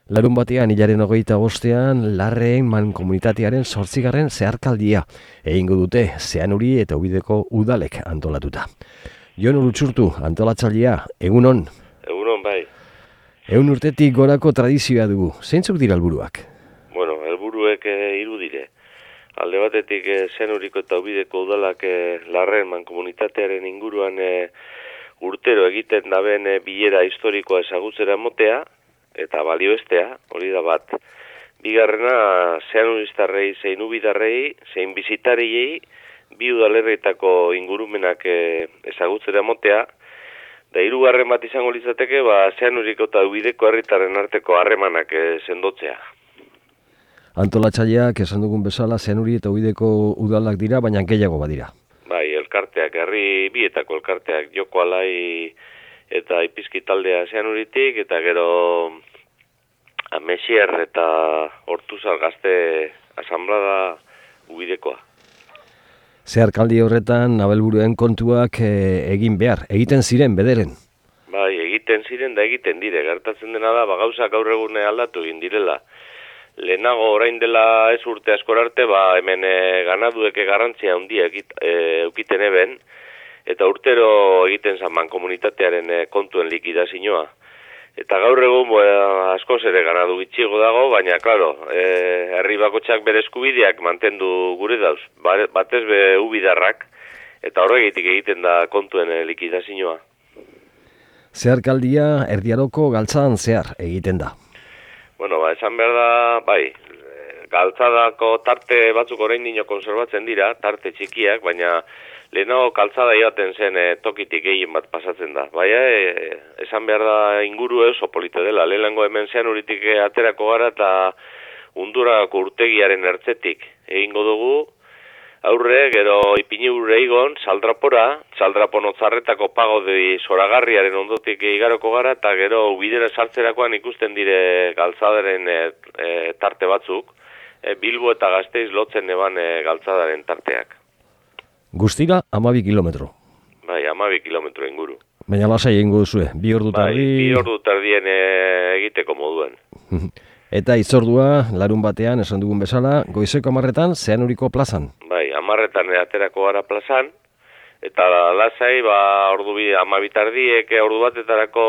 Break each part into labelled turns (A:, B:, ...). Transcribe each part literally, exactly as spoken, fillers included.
A: Larun batean, hilaren hogeita bostean, Larreen mankomunitatearen zortzigarren zeharkaldia egingo dute Zeanuri eta Ubideko udalek antolatuta. Jon Urutsurtu, antolatzailea, egunon?
B: Egunon, bai.
A: Ehun urtetik gorako tradizioa dugu. Zeintzuk dira helburuak?
B: Bueno, helburuek e, hiru dire. Alde batetik e, Zeanuriko eta Ubideko udalak e, Larreen mankomunitatearen inguruan e, urtero egiten daben e, bilera historikoa ezagutzera motea, eta balioestea, hori da bat. Bigarrena, zeanuristarrei, zein ubidarrei, zein bizitariei, bi udalerrietako ingurumenak e, ezagutzera motea, da hirugarren bat izango litzateke, ba, Zeanuriko eta Ubideko herritarren arteko harremanak e, sendotzea.
A: Antolatzaileak esan dugun bezala, Zeanuri eta Ubideko udalak dira, baina gehiago badira.
B: Bai, elkarteak, herri bietako elkarteak, Joko Alai eta Ipizki taldea Zeanuritik, eta gero Mesier eta Hortuzar gazte asanblada Ubidekoa.
A: Zeharkaldi horretan, abelburuen kontuak e, egin behar, egiten ziren bederen.
B: Bai, egiten ziren da egiten dire, gertatzen dena da, ba, gauzak gaur egune aldatu egin direla. Lehenago orain dela ez urte askor arte, ba, hemen e, ganadueke garrantzia handia e, eukiten eben, eta urtero egiten zan mankomunitatearen e, kontuen likidazioa. Eta gaur egun bo, askoz ere ganadu gitxigo dago, baina, klaro, e, herri bakotxak bere eskubideak mantendu gure dauz, batez be ubidarrak, eta horregitik egiten da kontuen e, likidazioa.
A: Zeharkaldia erdiaroko galtzan zehar egiten da.
B: Bueno, ba, esan behar da, bai, galtzadako tarte batzuk orain dino konserbatzen dira, tarte txikiak, baina lehenago kaltzada joaten zen e, tokitik gehien bat pasatzen da. Baina, e, esan behar da inguru oso polite dela. Lehenengo hemen Zeanuritik aterako gara eta Undurako urtegiaren ertzetik egingo dugu. Aurre, gero ipini urre igon, Saldrapora, Saldrapon otzarretako pagodi zoragarriaren ondotik igaroko gara, eta gero Ubidera sartzerakoan ikusten dire galtzadaren e, e, tarte batzuk, e, Bilbo eta Gasteiz lotzen eban e, galtzadaren tarteak.
A: Guztira, hamabi kilometro.
B: Bai, hamabi kilometro inguru.
A: Baina lasai egingo duzue, bi ordu tardi...
B: Bai, bi ordu tardien e, egiteko moduen.
A: Eta itzordua, larun batean, esan dugun bezala, goizeko hamarretan, Zeanuriko plazan.
B: Bai, hamarretan aterako gara plazan, eta lasai, ba, ordu bi, hamabi tardiek ordu batetarako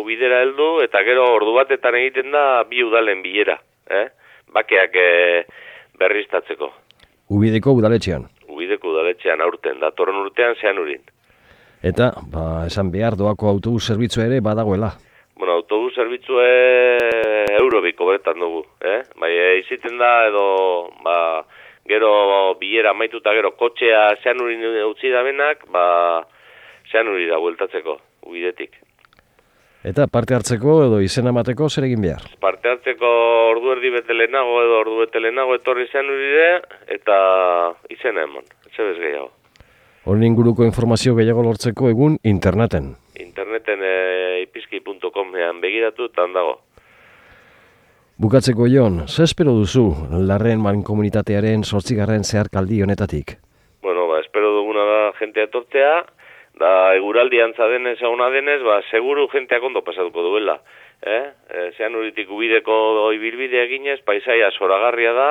B: bidera heldu, eta gero ordu batetan egiten da bi udalen bilera, eh? Bakeak e, berriztatzeko.
A: Ubideko udaletxean.
B: Ubideko udaletxean aurten, datorren urtean Zeanurin.
A: Eta, ba, esan behar, doako autobus zerbitzua ere badagoela.
B: Bueno, autobus zerbitzue eurobiko beretan dugu, eh? Bai, iziten da edo, ba, gero bilera amaituta gero kotxea Zeanurin utzi da benak, ba, Zeanuri da bueltatzeko, Ubidetik.
A: Eta parte hartzeko edo izena emateko zer egin behar?
B: Parte hartzeko ordu erdi bete lehenago edo ordu bete lehenago etorri Zeanurire eta izena eman, etxe bez gehiago.
A: Horren inguruko informazio gehiago lortzeko egun interneten.
B: Interneten e, ipizki puntu comean begiratu eta handago.
A: Bukatzeko Jon, ze espero duzu Larreen mankomunitatearen zortzigarren zeharkaldi honetatik?
B: Bueno, ba, espero duguna da jentea etortzea, da eguraldi antza denez eguna denez, ba, seguru jenteak ondo pasatuko duela. Eh? E, Zeanuritik Ubideko ibilbidea ginez, paisaia zoragarria da,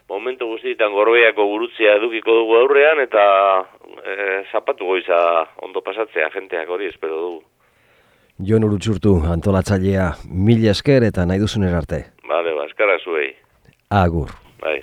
B: momentu guztietan Gorbeiako gurutzea edukiko dugu aurrean, eta e, zapatu goiza ondo pasatzea jenteak hori espero dugu.
A: Jon Urutsurtu, antolatzailea, mila esker eta nahi duzun erarte.
B: Bale, ba, eskerrak zuei.
A: Agur.
B: Bai.